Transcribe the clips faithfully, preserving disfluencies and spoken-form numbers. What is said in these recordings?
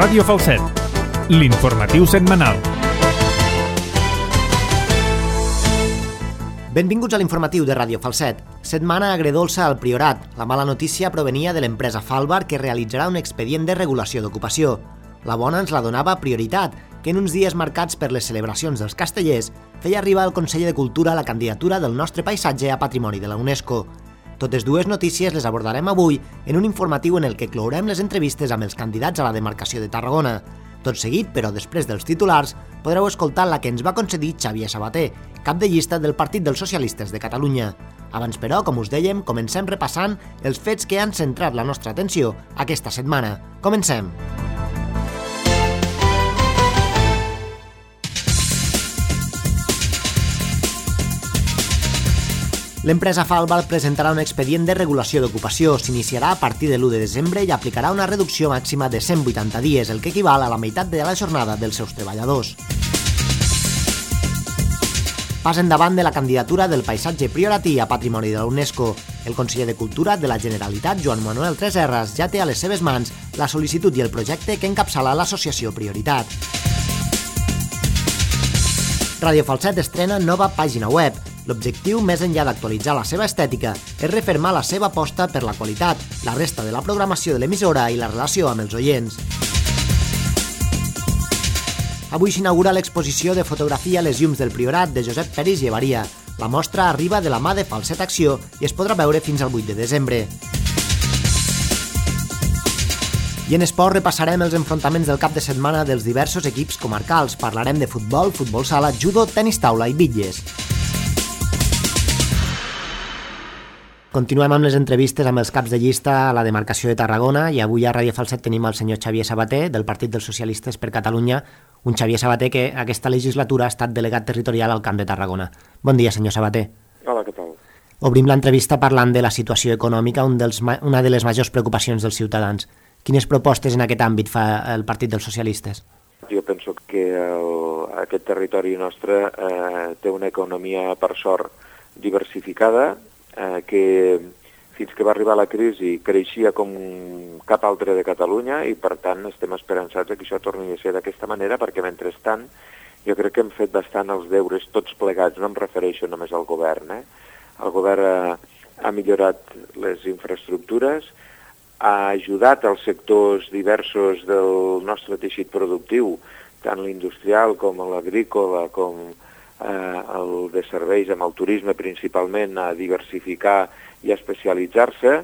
Ràdio Falset, l'informatiu setmanal. Benvinguts a l'informatiu de Ràdio Falset. Setmana agredolça al Priorat. La mala notícia provenia de l'empresa Falbar, que realitzarà un expedient de regulació d'ocupació. La bona ens la donava Prioritat, que en uns dies marcats per les celebracions dels castellers feia arribar al Consell de Cultura la candidatura del nostre paisatge a Patrimoni de la UNESCO. Totes dues notícies les abordarem avui en un informatiu en el que clourem les entrevistes amb els candidats a la demarcació de Tarragona. Tot seguit, però després dels titulars, podreu escoltar la que ens va concedir Xavier Sabater, cap de llista del Partit dels Socialistes de Catalunya. Abans, però, com us dèiem, comencem repassant els fets que han centrat la nostra atenció aquesta setmana. Comencem! L'empresa Falbar presentarà un expedient de regulació d'ocupació. S'iniciarà a partir de l'u de desembre i aplicarà una reducció màxima de cent vuitanta dies, el que equival a la meitat de la jornada dels seus treballadors. Pas endavant de la candidatura del paisatge prioratí a Patrimoni de la UNESCO. El conseller de Cultura de la Generalitat, Joan Manuel Tresserras, ja té a les seves mans la sol·licitud i el projecte que encapçala l'associació Prioritat. Ràdio Falset estrena nova pàgina web. L'objectiu, més enllà d'actualitzar la seva estètica, és refermar la seva aposta per la qualitat, la resta de la programació de l'emissora i la relació amb els oients. Avui s'inaugura l'exposició de fotografia Les llums del Priorat de Josep Peris Llevaria. La mostra arriba de la mà de Falset Acció i es podrà veure fins al vuit de desembre. I en esport repassarem els enfrontaments del cap de setmana dels diversos equips comarcals. Parlarem de futbol, futbol sala, judo, tenis taula i bitlles. Continuem amb les entrevistes amb els caps de llista a la demarcació de Tarragona i avui a Ràdio Falset tenim el senyor Xavier Sabater del Partit dels Socialistes per Catalunya, un Xavier Sabater que aquesta legislatura ha estat delegat territorial al Camp de Tarragona. Bon dia, senyor Sabater. Hola, què tal? Obrim l'entrevista parlant de la situació econòmica, un dels, una de les majors preocupacions dels ciutadans. Quines propostes en aquest àmbit fa el Partit dels Socialistes? Jo penso que el, aquest territori nostre eh, té una economia, per sort, diversificada, eh, que fins que va arribar la crisi creixia com cap altre de Catalunya i, per tant, estem esperançats que això torni a ser d'aquesta manera, perquè, mentrestant, jo crec que hem fet bastant els deures tots plegats, no em refereixo només al govern. Eh? El govern ha, ha millorat les infraestructures, ha ajudat als sectors diversos del nostre teixit productiu, tant l'industrial com l'agrícola, com eh, el de serveis, amb el turisme principalment, a diversificar i a especialitzar-se,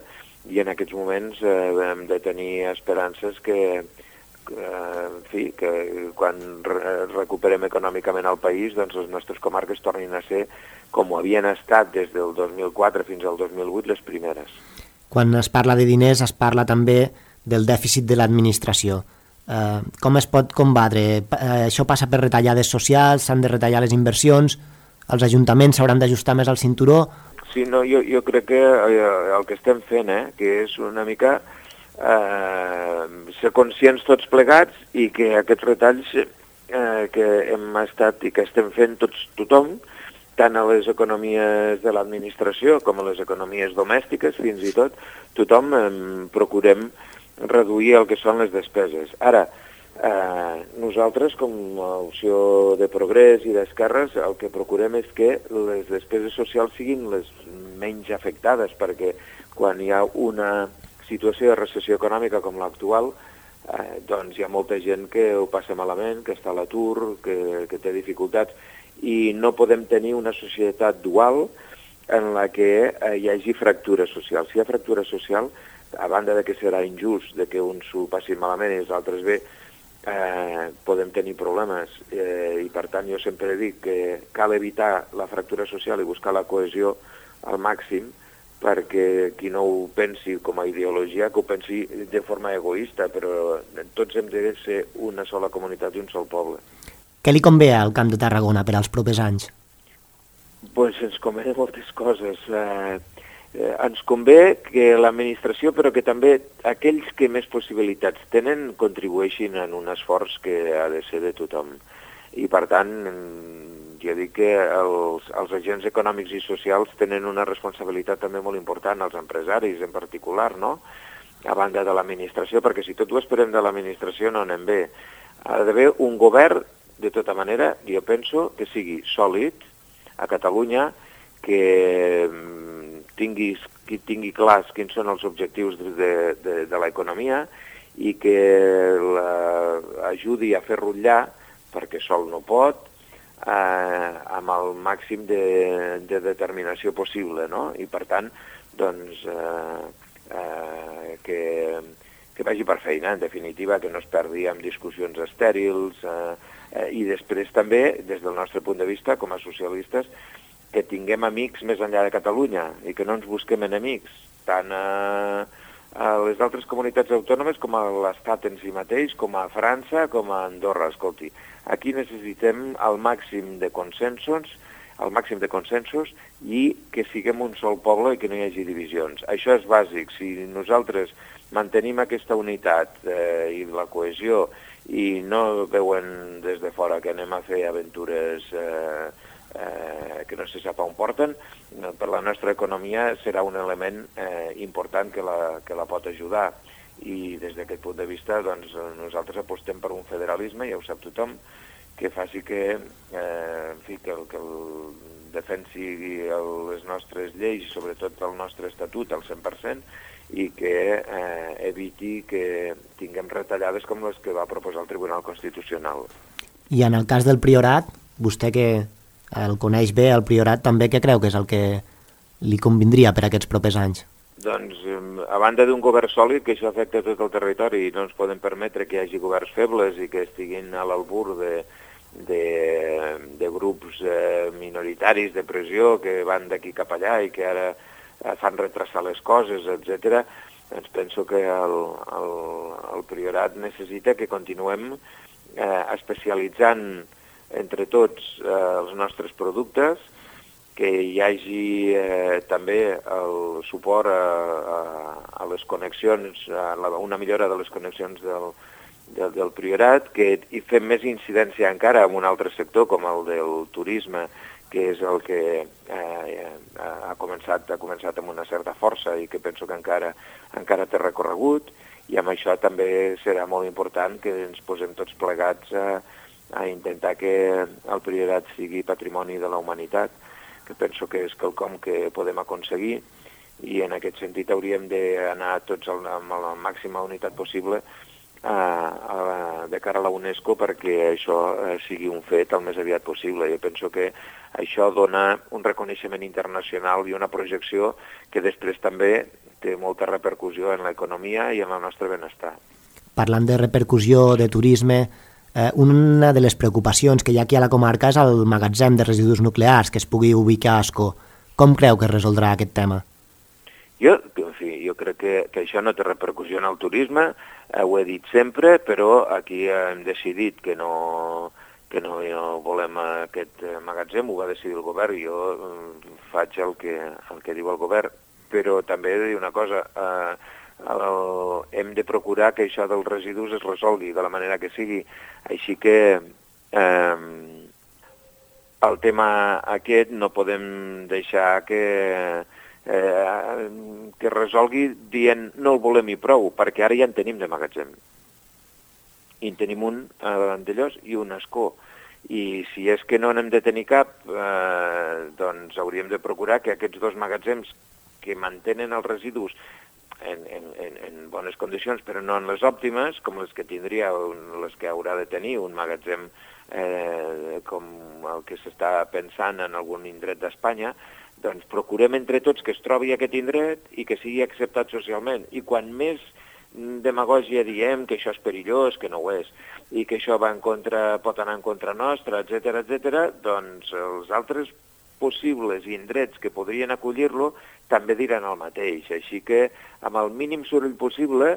i en aquests moments eh, hem de tenir esperances que, que, en fi, que quan re recuperem econòmicament el país, doncs les nostres comarques tornin a ser com ho havien estat des del dos mil quatre fins al dos mil vuit les primeres. Quan es parla de diners es parla també del dèficit de l'administració. Eh, com es pot combatre? Eh, això passa per retallades socials, s'han de retallar les inversions, els ajuntaments s'hauran d'ajustar més al cinturó. Sí, no, jo, jo crec que eh, el que estem fent, eh, que és una mica eh, ser conscients tots plegats i que aquests retalls eh, que hem estat i que estem fent tots tothom, tant a les economies de l'administració com a les economies domèstiques, fins i tot, tothom eh, procurem reduir el que són les despeses. Ara, eh, nosaltres, com a opció de progrés i d'esquerres, el que procurem és que les despeses socials siguin les menys afectades, perquè quan hi ha una situació de recessió econòmica com l'actual, eh, doncs hi ha molta gent que ho passa malament, que està a l'atur, que, que té dificultats, i no podem tenir una societat dual en la que eh, hi hagi fractura social. Si hi ha fractura social, a banda de que serà injust, de que uns s'ho passin malament i els altres bé, eh, podem tenir problemes. Eh, I per tant jo sempre dic que cal evitar la fractura social i buscar la cohesió al màxim, perquè qui no ho pensi com a ideologia, que ho pensi de forma egoista, però tots hem de ser una sola comunitat i un sol poble. Què li convé al Camp de Tarragona per als propers anys? Pues ens convé moltes coses. Eh, eh, ens convé que l'administració, però que també aquells que més possibilitats tenen, contribueixin en un esforç que ha de ser de tothom. I, per tant, jo dic que els, els agents econòmics i socials tenen una responsabilitat també molt important, els empresaris en particular, no? a banda de l'administració, perquè si tot ho esperem de l'administració no anem bé. Ha d'haver un govern, de tota manera, jo penso que sigui sòlid a Catalunya, que tingui, que tingui clars quins són els objectius de, de, de l'economia i que l'ajudi a fer rutllar, perquè sol no pot, eh, amb el màxim de, de determinació possible, no? I per tant, doncs, eh, eh, que, que vagi per feina, en definitiva, que no es perdi amb discussions estèrils, eh, eh, i després també, des del nostre punt de vista, com a socialistes, que tinguem amics més enllà de Catalunya i que no ens busquem enemics, tant a, a les altres comunitats autònomes com a l'Estat en si mateix, com a França, com a Andorra. Escolti, aquí necessitem el màxim de consensos, el màxim de consensos i que siguem un sol poble i que no hi hagi divisions. Això és bàsic. Si nosaltres mantenim aquesta unitat eh, i la cohesió i no veuen des de fora que anem a fer aventures eh, eh, que no se sap on porten, per la nostra economia serà un element eh, important que la, que la pot ajudar. I des d'aquest punt de vista doncs, nosaltres apostem per un federalisme, ja ho sap tothom, que faci que, eh, en fi, que, el, que el defensi el, les nostres lleis i sobretot el nostre estatut al cent per cent i que eh, eviti que tinguem retallades com les que va proposar el Tribunal Constitucional. I en el cas del Priorat, vostè que el coneix bé, el Priorat, també què creu que és el que li convindria per aquests propers anys? Doncs, a banda d'un govern sòlid, que això afecta tot el territori i no ens podem permetre que hi hagi governs febles i que estiguin a l'albur de, de, de grups eh, minoritaris de pressió que van d'aquí cap allà i que ara eh, fan retrasar les coses, etcètera, doncs penso que el, el, el Priorat necessita que continuem eh, especialitzant entre tots eh, els nostres productes, que hi hagi eh, també el suport a, a, a les connexions, a la, una millora de les connexions del, del, del Priorat, que hi fem més incidència encara en un altre sector com el del turisme, que és el que eh, ha, començat, ha començat amb una certa força i que penso que encara, encara té recorregut, i amb això també serà molt important que ens posem tots plegats a a intentar que el Priorat sigui patrimoni de la humanitat, que penso que és quelcom que podem aconseguir, i en aquest sentit hauríem d'anar tots amb la màxima unitat possible a, a, de cara a la UNESCO perquè això sigui un fet el més aviat possible. Jo penso que això dona un reconeixement internacional i una projecció que després també té molta repercussió en l'economia i en el nostre benestar. Parlant de repercussió, de turisme, Eh, una de les preocupacions que hi ha aquí a la comarca és el magatzem de residus nuclears que es pugui ubicar a Ascó. Com creu que es resoldrà aquest tema? Jo, en fi, jo crec que, que això no té repercussió en el turisme, eh, ho he dit sempre, però aquí hem decidit que no, que no, no volem aquest magatzem, ho va decidir el govern, i jo eh, faig el que, el que diu el govern, però també he de dir una cosa, eh, El, hem de procurar que això dels residus es resolgui de la manera que sigui. Així que eh, el tema aquest no podem deixar que, eh, que resolgui dient no el volem i prou, perquè ara ja en tenim de magatzem. I en tenim un a Vandellós i un a Ascó. I si és que no n'hem de tenir cap, eh, doncs hauríem de procurar que aquests dos magatzems que mantenen els residus En, en, en bones condicions, però no en les òptimes, com les que tindria, les que haurà de tenir un magatzem eh, com el que s'està pensant en algun indret d'Espanya, doncs procurem entre tots que es trobi aquest indret i que sigui acceptat socialment. I quan més demagògia diem que això és perillós, que no ho és, i que això va en contra, pot anar en contra nostra, etcètera, etcètera, doncs els altres possibles indrets que podrien acollir-lo també diran el mateix. Així que, amb el mínim soroll possible,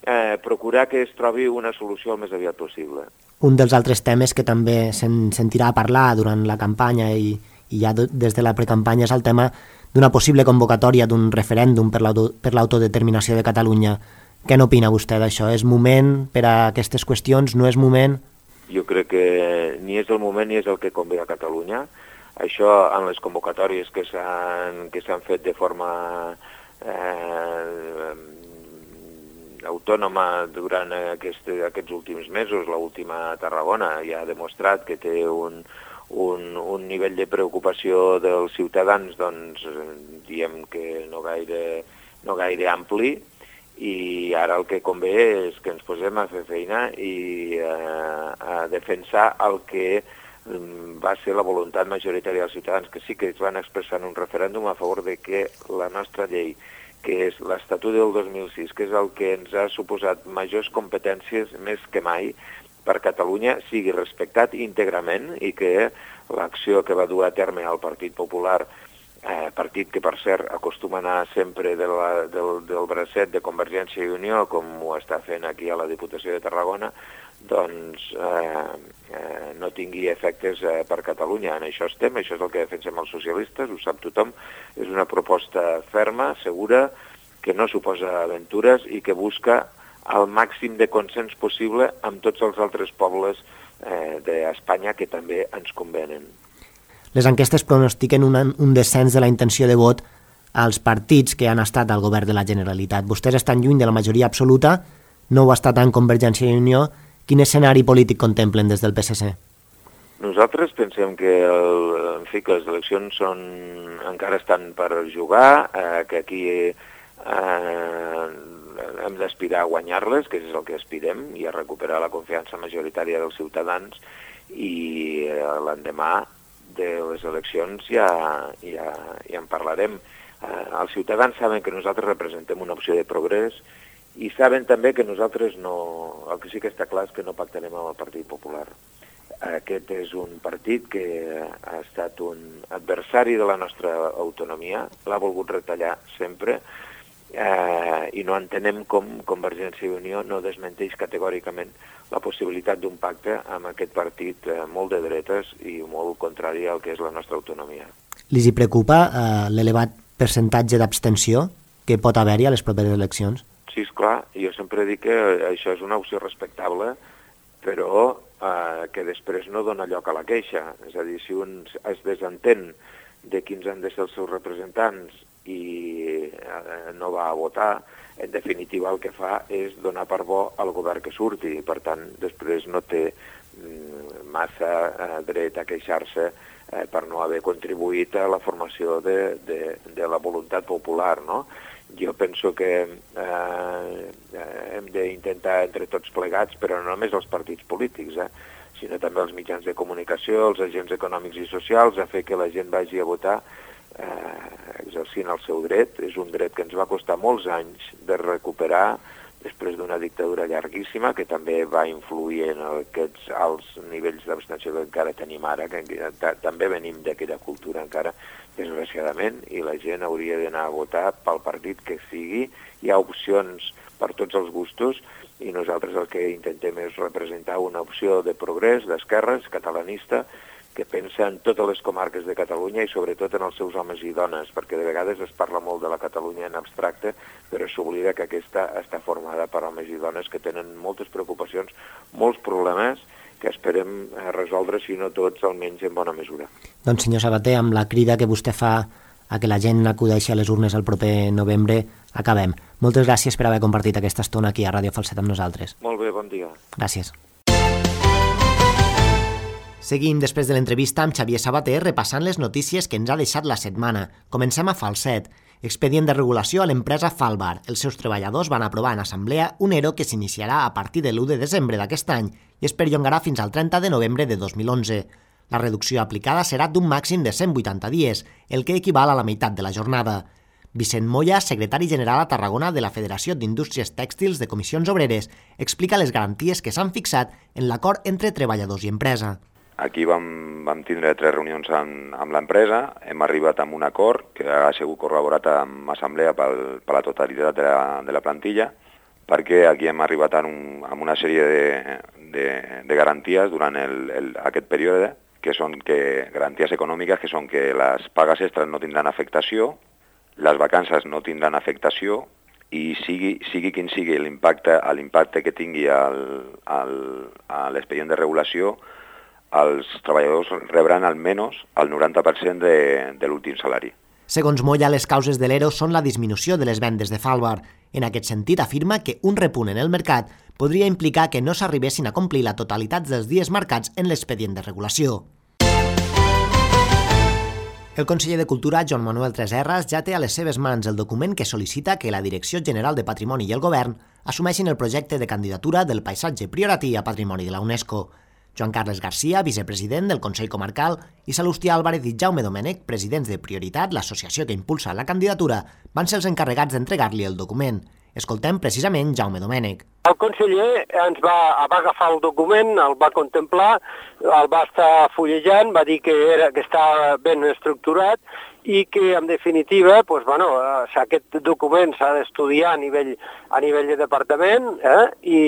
eh, procurar que es trobi una solució el més aviat possible. Un dels altres temes que també se'n sentirà a parlar durant la campanya i, i ja des de la precampanya és el tema d'una possible convocatòria d'un referèndum per l'autodeterminació de Catalunya. Què n'opina vostè d'això? És moment per a aquestes qüestions? No és moment? Jo crec que ni és el moment ni és el que convé a Catalunya. Això en les convocatòries que s'han que s'han fet de forma eh, autònoma durant aquest, aquests últims mesos, l'última a Tarragona, ja ha demostrat que té un, un, un nivell de preocupació dels ciutadans, doncs, diem que no gaire, no gaire ampli, i ara el que convé és que ens posem a fer feina i eh, a defensar el que va ser la voluntat majoritària dels ciutadans, que sí que es van expressar en un referèndum a favor de que la nostra llei, que és l'Estatut del dos mil sis, que és el que ens ha suposat majors competències més que mai per Catalunya, sigui respectat íntegrament i que l'acció que va dur a terme el Partit Popular, eh, partit que per cert acostuma a anar sempre de la, del, del bracet de Convergència i Unió, com ho està fent aquí a la Diputació de Tarragona, doncs eh, eh, no tingui efectes eh, per Catalunya. En això estem, això és el que defensem els socialistes, ho sap tothom, és una proposta ferma, segura, que no suposa aventures i que busca el màxim de consens possible amb tots els altres pobles eh, d'Espanya que també ens convenen. Les enquestes pronostiquen un, un descens de la intenció de vot als partits que han estat al govern de la Generalitat. Vostès estan lluny de la majoria absoluta, no ho està tant Convergència i Unió. Quin escenari polític contemplen des del P S C? Nosaltres pensem que, el, en fi, que les eleccions són, encara estan per jugar, eh, que aquí eh, hem d'aspirar a guanyar-les, que és el que aspirem, i a recuperar la confiança majoritària dels ciutadans, i eh, l'endemà de les eleccions ja, ja, ja en parlarem. Eh, els ciutadans saben que nosaltres representem una opció de progrés i saben també que nosaltres no... El que sí que està clar és que no pactarem amb el Partit Popular. Aquest és un partit que ha estat un adversari de la nostra autonomia, l'ha volgut retallar sempre, eh, i no entenem com Convergència i Unió no desmenteix categòricament la possibilitat d'un pacte amb aquest partit eh, molt de dretes i molt contrari al que és la nostra autonomia. Li hi preocupa eh, l'elevat percentatge d'abstenció que pot haver-hi a les properes eleccions? Sí, esclar, jo sempre dic que això és una opció respectable, però eh, que després no dona lloc a la queixa. És a dir, si un es desentén de quins han de ser els seus representants i eh, no va a votar, en definitiva el que fa és donar per bo al govern que surti, i per tant després no té mm, massa eh, dret a queixar-se eh, per no haver contribuït a la formació de, de, de la voluntat popular, no? Jo penso que eh, hem d'intentar entre tots plegats, però no només els partits polítics, eh, sinó també els mitjans de comunicació, els agents econòmics i socials, a fer que la gent vagi a votar eh, exercint el seu dret. És un dret que ens va costar molts anys de recuperar després d'una dictadura llarguíssima, que també va influir en aquests alts nivells d'abstenció que encara tenim ara, que també venim d'aquella cultura encara, desgraciadament, i la gent hauria d'anar a votar pel partit que sigui. Hi ha opcions per tots els gustos, i nosaltres el que intentem és representar una opció de progrés, d'esquerres, catalanista, que pensa en totes les comarques de Catalunya i sobretot en els seus homes i dones, perquè de vegades es parla molt de la Catalunya en abstracte, però s'oblida que aquesta està formada per homes i dones que tenen moltes preocupacions, molts problemes, que esperem resoldre, si no tots, almenys en bona mesura. Doncs senyor Sabater, amb la crida que vostè fa a que la gent acudeixi a les urnes el proper novembre, acabem. Moltes gràcies per haver compartit aquesta estona aquí a Ràdio Falset amb nosaltres. Molt bé, bon dia. Gràcies. Seguim després de l'entrevista amb Xavier Sabater repassant les notícies que ens ha deixat la setmana. Comencem a Falset. Expedient de regulació a l'empresa Falbar. Els seus treballadors van aprovar en assemblea un ERO que s'iniciarà a partir de l'u de desembre d'aquest any i es perllongarà fins al trenta de novembre de dos mil onze. La reducció aplicada serà d'un màxim de cent vuitanta dies, el que equival a la meitat de la jornada. Vicent Moya, secretari general a Tarragona de la Federació d'Indústries Tèxtils de Comissions Obreres, explica les garanties que s'han fixat en l'acord entre treballadors i empresa. Aquí vam, vam tindre tres reunions amb, amb l'empresa, hem arribat a un acord que ha sigut corroborat amb assemblea pel, per la totalitat de la, de la plantilla, perquè aquí hem arribat a, un, a una sèrie de, de, de garanties durant el, el, aquest període, que són que, garanties econòmiques, que són que les pagues extres no tindran afectació, les vacances no tindran afectació, i sigui, sigui quin sigui l'impacte l'impacte que tingui el, el, l'expedient de regulació, els treballadors rebran almenys el noranta per cent de, de l'últim salari. Segons Moya, les causes de l'E R O són la disminució de les vendes de Falbar. En aquest sentit, afirma que un repunt en el mercat podria implicar que no s'arribessin a complir la totalitat dels dies marcats en l'expedient de regulació. El conseller de Cultura, Joan Manuel Tresserras, ja té a les seves mans el document que sol·licita que la Direcció General de Patrimoni i el Govern assumeixin el projecte de candidatura del paisatge prioratí a Patrimoni de la UNESCO. Joan Carles Garcia, vicepresident del Consell Comarcal, i Salustià Álvarez i Jaume Domènech, presidents de Prioritat, l'associació que impulsa la candidatura, van ser els encarregats d'entregar-li el document. Escoltem precisament Jaume Domènech. El conseller ens va, va agafar el document, el va contemplar, el va estar fullejant, va dir que, era, que estava ben estructurat i que, en definitiva, doncs, bueno, aquest document s'ha d'estudiar a nivell, a nivell de departament eh? I,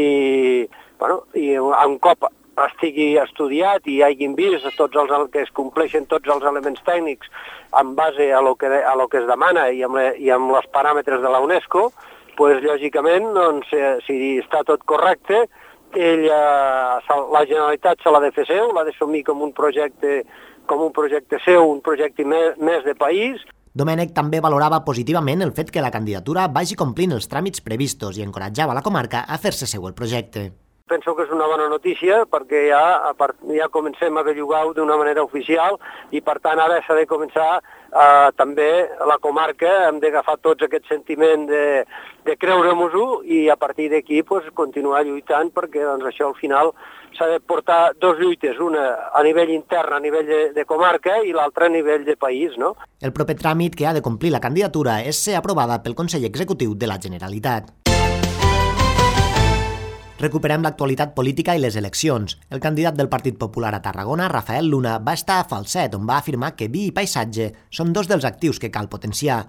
bueno, i un cop estigui estudiat i hagin vist tots els, que es compleixen tots els elements tècnics en base a lo que, a lo que es demana i amb, le, i amb els paràmetres de la UNESCO, pues, lògicament, doncs, si està tot correcte, ell, la Generalitat se l'ha de fer seu, l'ha d'assumir com un projecte com un projecte seu, un projecte més, més de país. Domènech també valorava positivament el fet que la candidatura vagi complint els tràmits previstos i encoratjava la comarca a fer-se seu el projecte. Penso que és una bona notícia perquè ja, ja comencem a bellugar-ho d'una manera oficial i, per tant, ara s'ha de començar eh, també la comarca, hem d'agafar tots aquest sentiment de, de creure-nos-ho i a partir d'aquí pues, continuar lluitant perquè doncs, això al final s'ha de portar dos lluites, una a nivell intern, a nivell de, de comarca i l'altra a nivell de país, no? El proper tràmit que ha de complir la candidatura és ser aprovada pel Consell Executiu de la Generalitat. Recuperem l'actualitat política i les eleccions. El candidat del Partit Popular a Tarragona, Rafael Luna, va estar a Falset, on va afirmar que vi i paisatge són dos dels actius que cal potenciar.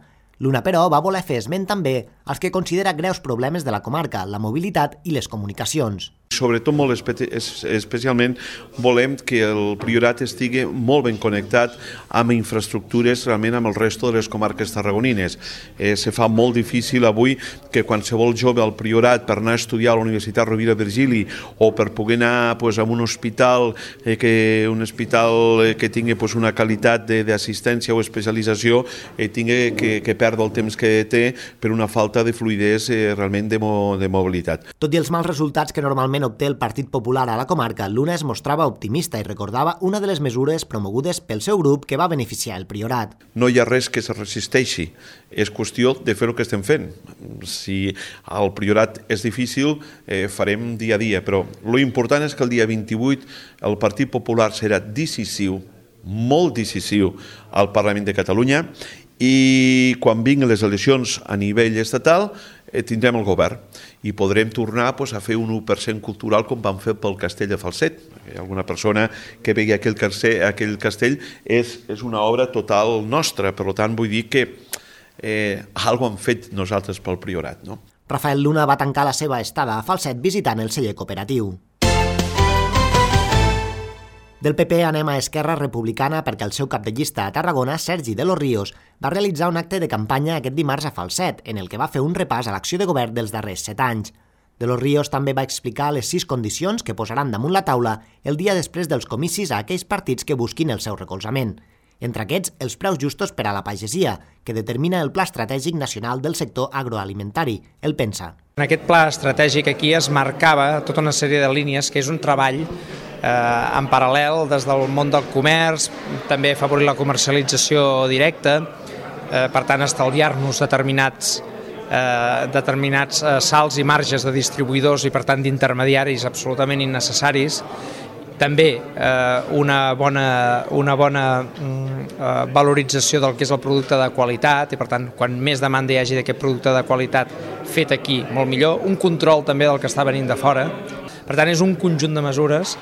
Luna, però, va voler fer esment també als que considera greus problemes de la comarca, la mobilitat i les comunicacions. Sobretot, molt espe especialment, volem que el Priorat estigui molt ben connectat amb infraestructures realment amb el resto de les comarques tarragonines. Eh, se fa molt difícil avui que qualsevol jove al Priorat per anar a estudiar a la Universitat Rovira Virgili o per poder anar pues, a un hospital, eh, que, un hospital eh, que tingui pues, una qualitat d'assistència o especialització eh, tingui que, que perdre el temps que té per una falta de fluidesa eh, realment de, mo de mobilitat. Tot i els mals resultats que normalment obté el Partit Popular a la comarca, Luna es mostrava optimista i recordava una de les mesures promogudes pel seu grup que va beneficiar el Priorat. No hi ha res que se resisteixi, és qüestió de fer el que estem fent. Si el Priorat és difícil, eh, farem dia a dia, però l'important és que el dia vint-i-vuit el Partit Popular serà decisiu, molt decisiu al Parlament de Catalunya i quan vinguin les eleccions a nivell estatal eh, tindrem el govern i podrem tornar pues, a fer un u per cent cultural com vam fer pel castell de Falset. Alguna persona que vegi aquell castell, aquell castell és, és una obra total nostra, per tant vull dir que eh, alguna hem fet nosaltres pel Priorat. No? Rafael Luna va tancar la seva estada a Falset visitant el celler cooperatiu. Del P P anem a Esquerra Republicana perquè el seu cap de llista a Tarragona, Sergi de los Ríos, va realitzar un acte de campanya aquest dimarts a Falset, en el que va fer un repàs a l'acció de govern dels darrers set anys. De los Ríos també va explicar les sis condicions que posaran damunt la taula el dia després dels comicis a aquells partits que busquin el seu recolzament. Entre aquests, els preus justos per a la pagesia, que determina el Pla Estratègic Nacional del Sector Agroalimentari, el PENSA. En aquest pla estratègic aquí es marcava tota una sèrie de línies que és un treball eh, en paral·lel des del món del comerç, també afavorir la comercialització directa, eh, per tant estalviar-nos determinats, eh, determinats eh, salts i marges de distribuïdors i per tant d'intermediaris absolutament innecessaris. També eh, una bona, una bona eh, valorització del que és el producte de qualitat i per tant quan més demanda hi hagi d'aquest producte de qualitat fet aquí molt millor, un control també del que està venint de fora. Per tant és un conjunt de mesures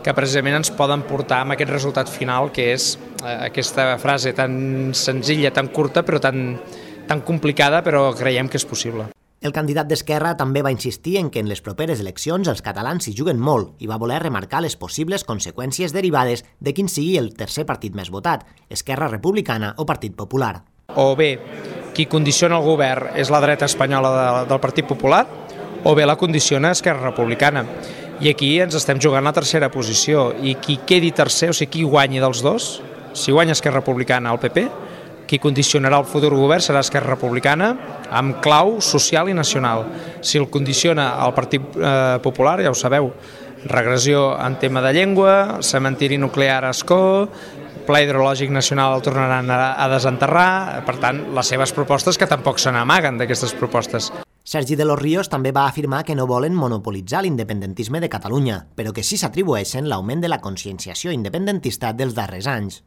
que precisament ens poden portar a aquest resultat final que és eh, aquesta frase tan senzilla, tan curta però tan, tan complicada però creiem que és possible. El candidat d'Esquerra també va insistir en que en les properes eleccions els catalans s'hi juguen molt i va voler remarcar les possibles conseqüències derivades de quin sigui el tercer partit més votat, Esquerra Republicana o Partit Popular. O bé, qui condiciona el govern és la dreta espanyola de, del Partit Popular, o bé la condiciona Esquerra Republicana. I aquí ens estem jugant la tercera posició i qui quedi tercer, o sigui, qui guanyi dels dos, si guanya Esquerra Republicana o el P P, qui condicionarà el futur govern serà Esquerra Republicana, amb clau social i nacional. Si el condiciona el Partit eh, Popular, ja ho sabeu, regressió en tema de llengua, cementiri nuclear a Ascó, Pla hidrològic nacional el tornaran a desenterrar, per tant, les seves propostes que tampoc se n'amaguen d'aquestes propostes. Sergi de los Ríos també va afirmar que no volen monopolitzar l'independentisme de Catalunya, però que sí s'atribueixen l'augment de la conscienciació independentista dels darrers anys.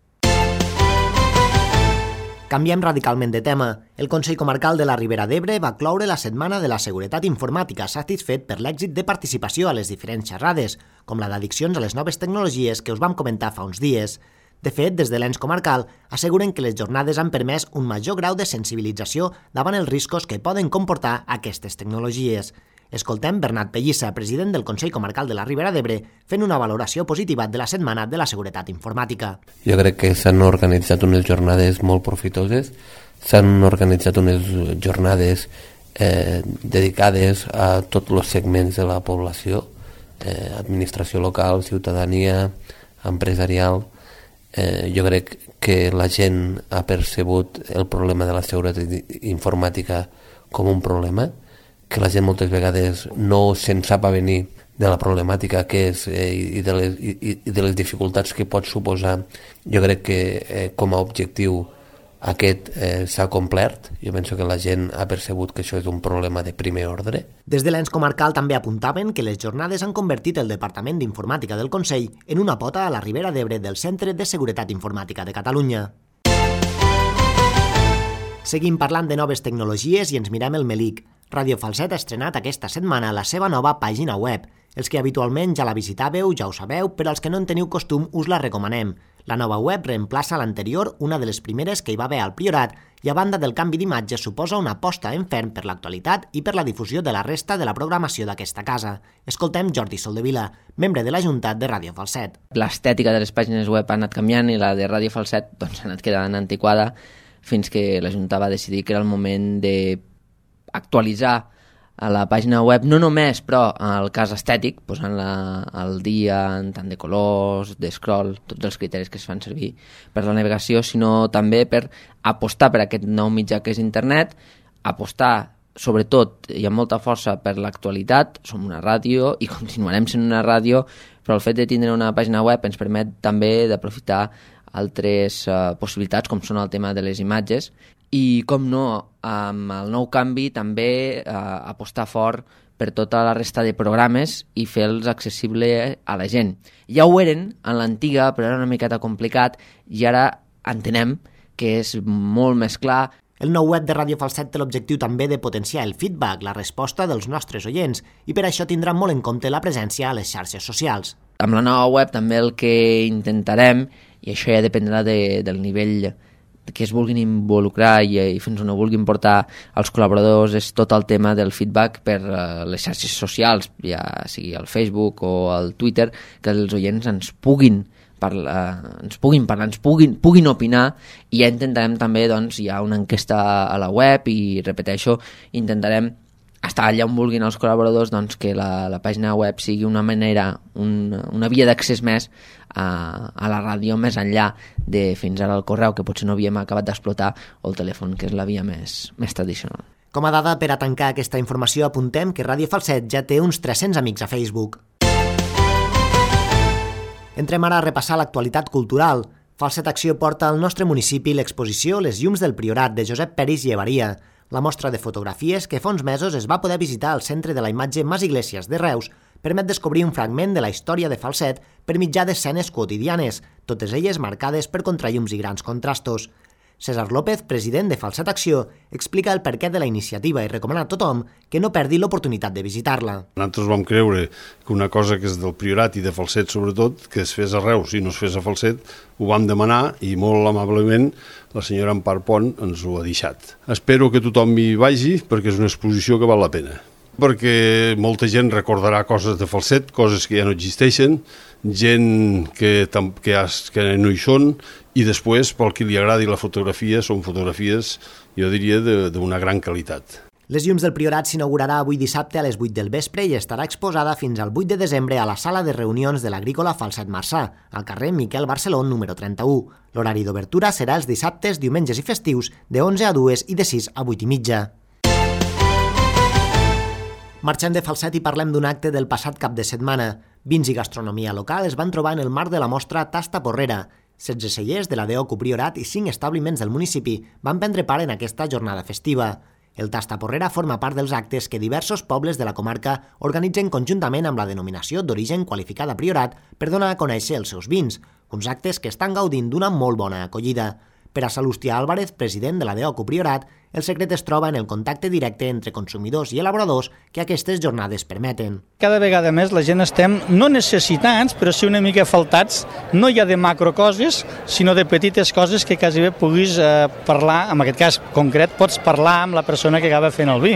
Canviem radicalment de tema. El Consell Comarcal de la Ribera d'Ebre va cloure la Setmana de la Seguretat Informàtica, satisfet per l'èxit de participació a les diferents xerrades, com la d'addiccions a les noves tecnologies que us vam comentar fa uns dies. De fet, des de l'ens comarcal asseguren que les jornades han permès un major grau de sensibilització davant els riscos que poden comportar aquestes tecnologies. Escoltem Bernat Pellissa, president del Consell Comarcal de la Ribera d'Ebre, fent una valoració positiva de la Setmana de la Seguretat Informàtica. Jo crec que s'han organitzat unes jornades molt profitoses, s'han organitzat unes jornades eh, dedicades a tots els segments de la població, eh, administració local, ciutadania, empresarial. Eh, jo crec que la gent ha percebut el problema de la seguretat informàtica com un problema, que la gent moltes vegades no se'n sap a venir de la problemàtica que és eh, i, de les, i, i de les dificultats que pot suposar. Jo crec que eh, com a objectiu aquest eh, s'ha complert. Jo penso que la gent ha percebut que això és un problema de primer ordre. Des de l'ens comarcal també apuntaven que les jornades han convertit el Departament d'Informàtica del Consell en una pota a la Ribera d'Ebre del Centre de Seguretat Informàtica de Catalunya. Seguim parlant de noves tecnologies i ens mirem el Melic. Radio Falset ha estrenat aquesta setmana la seva nova pàgina web. Els que habitualment ja la visitàveu ja ho sabeu, però els que no en teniu costum us la recomanem. La nova web reemplaça l'anterior, una de les primeres que hi va haver al Priorat, i a banda del canvi d'imatge suposa una aposta en ferm per l'actualitat i per la difusió de la resta de la programació d'aquesta casa. Escoltem Jordi Soldevila, membre de la Junta de Radio Falset. L'estètica de les pàgines web ha anat canviant i la de Radio Falset doncs, ha anat quedant antiquada fins que la Junta va decidir que era el moment d'actualitzar a la pàgina web, no només, però el cas estètic, posant-la al dia en tant de colors, de scroll, tots els criteris que es fan servir per la navegació, sinó també per apostar per aquest nou mitjà que és internet, apostar sobretot i amb molta força per l'actualitat. Som una ràdio i continuarem sent una ràdio, però el fet de tindre una pàgina web ens permet també d'aprofitar altres uh, possibilitats, com són el tema de les imatges, i, com no, amb el nou canvi també eh, apostar fort per tota la resta de programes i fer-los accessibles a la gent. Ja ho eren en l'antiga, però era una miqueta complicat, i ara entenem que és molt més clar. El nou web de Radio Falset té l'objectiu també de potenciar el feedback, la resposta dels nostres oients, i per això tindrà molt en compte la presència a les xarxes socials. Amb la nova web també el que intentarem, i això ja dependrà de, del nivell que es vulguin involucrar i, i fins on ho vulguin portar els col·laboradors, és tot el tema del feedback per uh, les xarxes socials, ja sigui el Facebook o el Twitter, que els oients ens puguin parlar, ens puguin parlar, ens puguin, puguin opinar, i ja intentarem també, doncs, hi ha una enquesta a la web i, repeteixo, intentarem estar allà on vulguin els col·laboradors, doncs, que la, la pàgina web sigui una manera, un, una via d'accés més a, a la ràdio, més enllà de fins ara el correu, que potser no havíem acabat d'explotar, o el telèfon, que és la via més, més tradicional. Com a dada per a tancar aquesta informació, apuntem que Radio Falset ja té uns tres-cents amics a Facebook. Entrem ara a repassar l'actualitat cultural. Falset Acció porta al nostre municipi l'exposició Les llums del Priorat, de Josep Peris i Evaria. La mostra de fotografies, que fa uns mesos es va poder visitar al Centre de la Imatge Mas Iglesias de Reus, permet descobrir un fragment de la història de Falset per mitjà d'escenes quotidianes, totes elles marcades per contrallums i grans contrastos. César López, president de Falset Acció, explica el perquè de la iniciativa i recomana a tothom que no perdi l'oportunitat de visitar-la. Nosaltres vam creure que una cosa que és del Priorat i de Falset sobretot, que es fes a Reus i no es fes a Falset, ho vam demanar i molt amablement la senyora Empar Pont ens ho ha deixat. Espero que tothom hi vagi perquè és una exposició que val la pena. Perquè molta gent recordarà coses de Falset, coses que ja no existeixen, gent que, que, que no hi són, i després, pel qui li agradi la fotografia, són fotografies, jo diria, d'una gran qualitat. Les llums del Priorat s'inaugurarà avui dissabte a les vuit del vespre i estarà exposada fins al vuit de desembre a la sala de reunions de l'Agrícola Falset Marçà, al carrer Miquel Barceló número trenta-u. L'horari d'obertura serà els dissabtes, diumenges i festius de onze a dues i de sis a vuit i mitja. Marxem de Falset i parlem d'un acte del passat cap de setmana. Vins i gastronomia local es van trobar en el marc de la mostra Tasta Porrera. setze cellers de la D O C U Priorat i cinc establiments del municipi van prendre part en aquesta jornada festiva. El Tasta Porrera forma part dels actes que diversos pobles de la comarca organitzen conjuntament amb la denominació d'origen qualificada Priorat per donar a conèixer els seus vins, uns actes que estan gaudint d'una molt bona acollida. Per a Salustià Álvarez, president de la D O C U Priorat, el secret es troba en el contacte directe entre consumidors i elaboradors que aquestes jornades permeten. Cada vegada més la gent estem no necessitats, però sí una mica faltats, no ja de macrocoses, sinó de petites coses que quasi bé puguis eh, parlar, en aquest cas concret, pots parlar amb la persona que acaba fent el vi.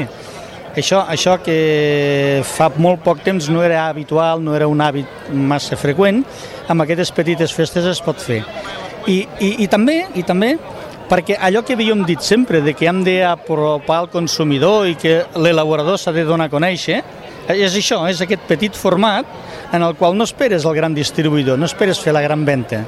Això, això que fa molt poc temps no era habitual, no era un hàbit massa freqüent, amb aquestes petites festes es pot fer. I, i, i també, i també perquè allò que havíem dit sempre, de que hem d'apropar al consumidor i que l'elaborador s'ha de donar a conèixer, és això, és aquest petit format en el qual no esperes el gran distribuïdor, no esperes fer la gran venda.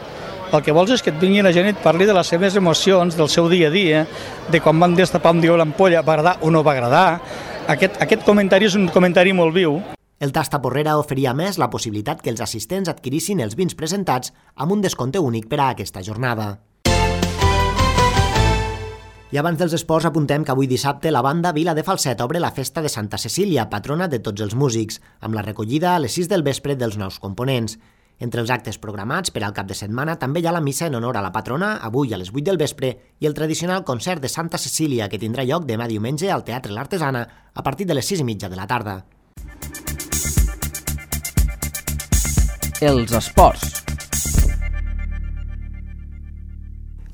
El que vols és que et vingui la gent i et parli de les seves emocions, del seu dia a dia, de quan van destapar un dia l'ampolla, va agradar o no va agradar. Aquest, aquest comentari és un comentari molt viu. El Tasta Porrera oferia a més la possibilitat que els assistents adquirissin els vins presentats amb un descompte únic per a aquesta jornada. I abans dels esports apuntem que avui dissabte la banda Vila de Falset obre la festa de Santa Cecília, patrona de tots els músics, amb la recollida a les sis del vespre dels nous components. Entre els actes programats per al cap de setmana també hi ha la missa en honor a la patrona, avui a les vuit del vespre, i el tradicional concert de Santa Cecília, que tindrà lloc demà diumenge al Teatre l'Artesana a partir de les sis i mitja de la tarda. Els esports.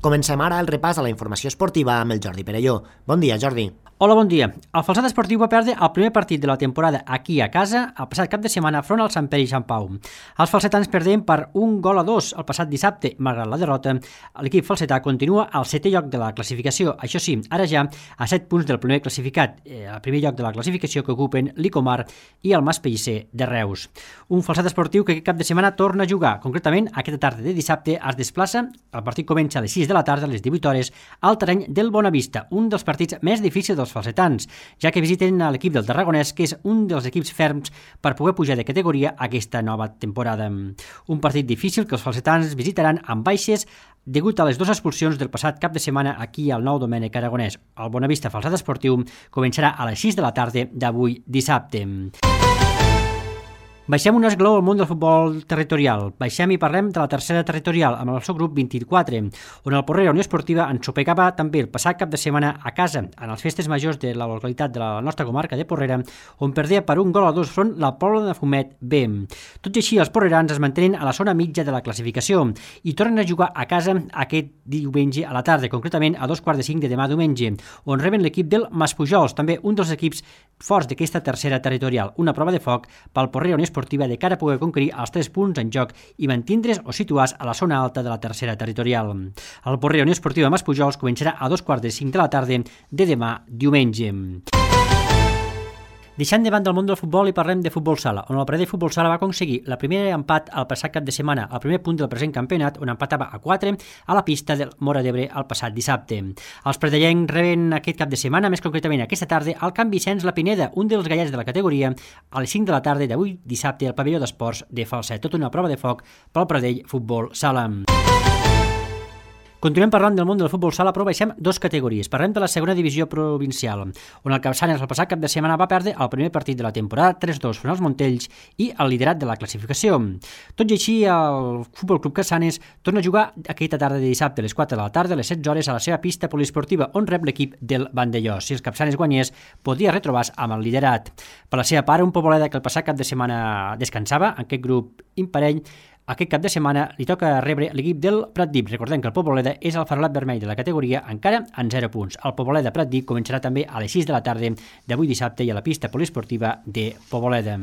Comencem ara el repàs a la informació esportiva amb el Jordi Perelló. Bon dia, Jordi. Hola, bon dia. El Falset Esportiu va perdre el primer partit de la temporada aquí a casa el passat cap de setmana front al Sant Pere i Sant Pau. Els falsetans perdien per un gol a dos el passat dissabte. Malgrat la derrota, l'equip falsetà continua al setè lloc de la classificació. Això sí, ara ja a set punts del primer classificat, eh, el primer lloc de la classificació que ocupen l'Icomar i el Mas Pellicer de Reus. Un Falset Esportiu que aquest cap de setmana torna a jugar. Concretament, aquesta tarda de dissabte es desplaça, el partit comença a les sis de la tarda, a les divuit hores, al terreny del Bonavista, un dels partits més difícils dels falsetans, ja que visiten a l'equip del Tarragonès, que és un dels equips ferms per poder pujar de categoria aquesta nova temporada. Un partit difícil que els falsetans visitaran amb baixes degut a les dues expulsions del passat cap de setmana aquí al Nou Domènec Aragonès. El Bonavista Falset Esportiu començarà a les sis de la tarda d'avui dissabte. Baixem un esglaó al món del futbol territorial. Baixem i parlem de la tercera territorial amb el seu grup vint-i-quatre, on el Porrera Unió Esportiva ensopegava també el passat cap de setmana a casa, en les festes majors de la localitat de la nostra comarca de Porrera, on perdia per un gol a dos front la Pobla de Fumet B. Tot i així, els porrerans es mantenen a la zona mitja de la classificació i tornen a jugar a casa aquest diumenge a la tarda, concretament a dos quarts de cinc de demà diumenge, on reben l'equip del Maspujols, també un dels equips forts d'aquesta tercera territorial. Una prova de foc pel Porrera Unió Esportiva de cara a poder conquerir els tres punts en joc i mantindre's o situar-se a la zona alta de la tercera territorial. El Porrera Unió Esportiva Maspujols començarà a dos quarts de cinc de la tarda de demà diumenge. Deixant de banda el món del futbol i parlem de futbol sala, on el Pradell Futbol Sala va aconseguir el primer empat al passat cap de setmana, el primer punt del present campionat, on empatava a quatre a la pista del Móra d'Ebre el passat dissabte. Els pradellencs reben aquest cap de setmana, més concretament aquesta tarda, al Can Vicenç La Pineda, un dels gallets de la categoria, a les cinc de la tarda d'avui dissabte al pavelló d'esports de Falset. Tota una prova de foc pel Pradell Futbol Sala. Continuem parlant del món del futbol sala, però baixem dos categories. Parlem de la segona divisió provincial, on el Capçanes el passat cap de setmana va perdre el primer partit de la temporada tres dos front als Montells i el liderat de la classificació. Tot i així, el Futbol Club Capçanes torna a jugar aquesta tarda de dissabte a les quatre de la tarda, a les setze hores, a la seva pista poliesportiva, on rep l'equip del Vandellós. Si els Capçanes guanyés, podria retrobar-se amb el liderat. Per la seva part, un Poboleda que el passat cap de setmana descansava, en aquest grup imparell, aquest cap de setmana li toca rebre l'equip del Pratdip. Recordem que el Poboleda és el farolat vermell de la categoria, encara en zero punts. El Poboleda Pratdip començarà també a les sis de la tarda d'avui dissabte i a la pista poliesportiva de Poboleda.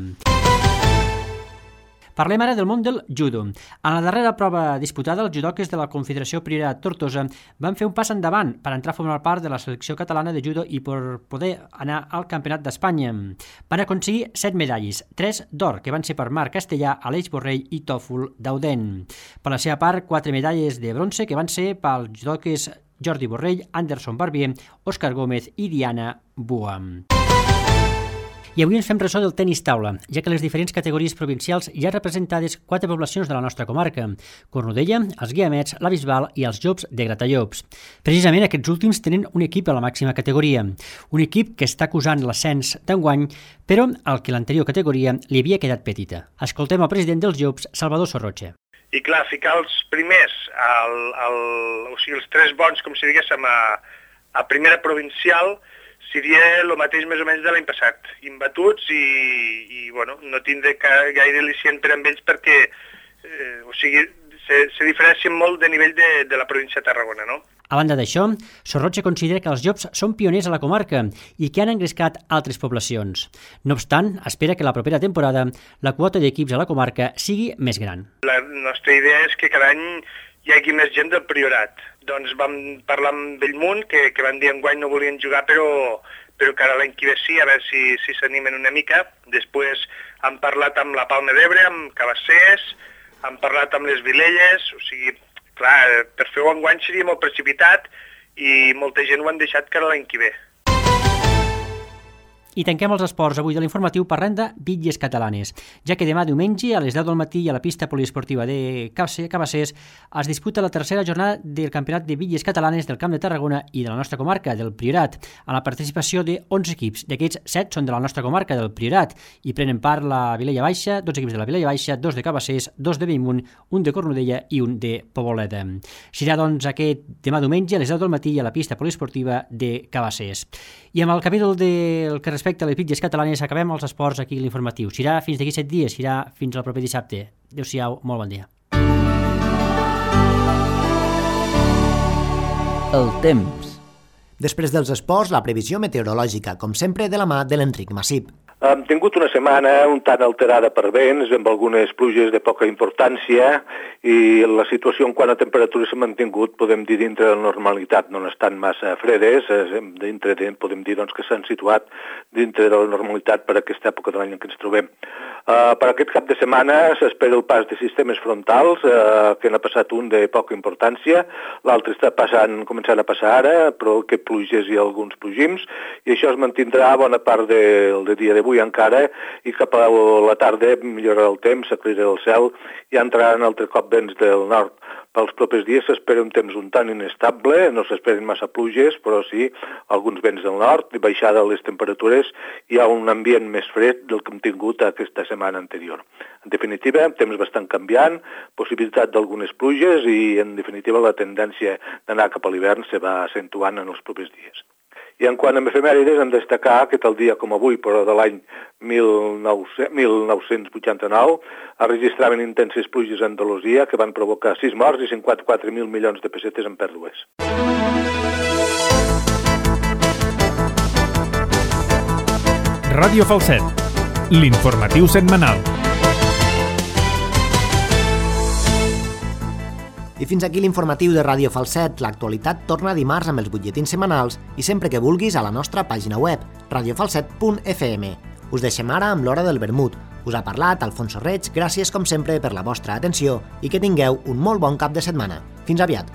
Parlem ara del món del judo. En la darrera prova disputada, els judoques de la Confederació Priorat Tortosa van fer un pas endavant per entrar a formar part de la selecció catalana de judo i per poder anar al Campionat d'Espanya. Van aconseguir set medalles, tres d'or, que van ser per Marc Castellà, Aleix Borrell i Tòfol Dauden. Per la seva part, quatre medalles de bronze que van ser pels judoques Jordi Borrell, Anderson Barbier, Òscar Gómez i Diana Bua. I avui ens fem ressò del tenis taula, ja que les diferents categories provincials hi ha representades quatre poblacions de la nostra comarca: Cornudella, els Guiamets, la Bisbal i els Llops de Gratallops. Precisament aquests últims tenen un equip a la màxima categoria, un equip que està acusant l'ascens d'enguany, però al que l'anterior categoria li havia quedat petita. Escoltem el president dels Llops, Salvador Sorroche. I clar, ficar els primers, el, el, o sigui, els tres bons, com si diguéssim, a, a primera provincial, seria el mateix més o menys de l'any passat, imbatuts i, i bueno, no tindré gaire al·licient per amb ells perquè eh, o sigui, se, se diferencien molt de nivell de, de la província de Tarragona, no? A banda d'això, Sorroche considera que els Llops són pioners a la comarca i que han engrescat altres poblacions. No obstant, espera que la propera temporada la quota d'equips a la comarca sigui més gran. La nostra idea és que cada any hi hagi més gent del Priorat. Doncs vam parlar amb Bellmunt, que, que van dir enguany no volien jugar, però, però que ara l'any que ve sí, a veure si si s'animen una mica. Després han parlat amb la Palma d'Ebre, amb Cabassers, han parlat amb les Vilelles, o sigui, clar, per fer-ho enguany seria molt precipitat i molta gent ho han deixat que era l'any que ve. I tanquem els esports avui de l'informatiu parlant de bitlles catalanes, ja que demà diumenge a les deu del matí a la pista poliesportiva de Cabassers es disputa la tercera jornada del Campionat de Bitlles Catalanes del Camp de Tarragona i de la nostra comarca, del Priorat, amb la participació de onze equips. D'aquests, set són de la nostra comarca, del Priorat, i prenen part la Vilella Baixa, dotze equips de la Vilella Baixa, dos de Cabassers, dos de Bellmunt, un de Cornudella i un de Poboleda. Serà, doncs, aquest demà diumenge a les deu del matí a la pista poliesportiva de Cabassers. I amb el capítol del que respecte a les bitlles catalanes acabem els esports aquí a l'informatiu. Serà fins d'aquí set dies, serà fins al proper dissabte. Adéu-siau, molt bon dia. El temps. Després dels esports, la previsió meteorològica, com sempre, de la mà de l'Enric Massip. Hem tingut una setmana un tant alterada per vents, amb algunes pluges de poca importància, i la situació en quant a temperatures s'ha mantingut, podem dir, dintre de la normalitat. No estan massa fredes, dintre de, podem dir doncs, que s'han situat dintre de la normalitat per aquesta època de l'any en què ens trobem. Uh, per aquest cap de setmana s'espera el pas de sistemes frontals, uh, que n'ha passat un de poca importància, l'altre està passant, començant a passar ara, però que pluges i alguns plogims, i això es mantindrà bona part del de dia d'avui encara, i cap a la tarda millorarà el temps, s'aclarirà el cel i entraran altre cop vents del nord. Pels propers dies s'espera un temps un tant inestable, no s'esperen massa pluges, però sí alguns vents del nord, i baixada les temperatures, hi ha un ambient més fred del que hem tingut aquesta setmana anterior. En definitiva, temps bastant canviant, possibilitat d'algunes pluges i, en definitiva, la tendència d'anar cap a l'hivern se va accentuant en els propers dies. I en quant a efemèrides, hem de destacar que tal dia com avui, però de l'any mil nou-cents vuitanta-nou, es registraven intenses pluges a Andalusia que van provocar sis morts i cinquanta-quatre mil milions de pessetes en pèrdues. Ràdio Falset, l'informatiu setmanal. I fins aquí l'informatiu de Ràdio Falset. L'actualitat torna dimarts amb els butlletins setmanals i sempre que vulguis a la nostra pàgina web, radio falset punt f m. Us deixem ara amb l'hora del vermut. Us ha parlat Alfonso Reig, gràcies com sempre per la vostra atenció i que tingueu un molt bon cap de setmana. Fins aviat!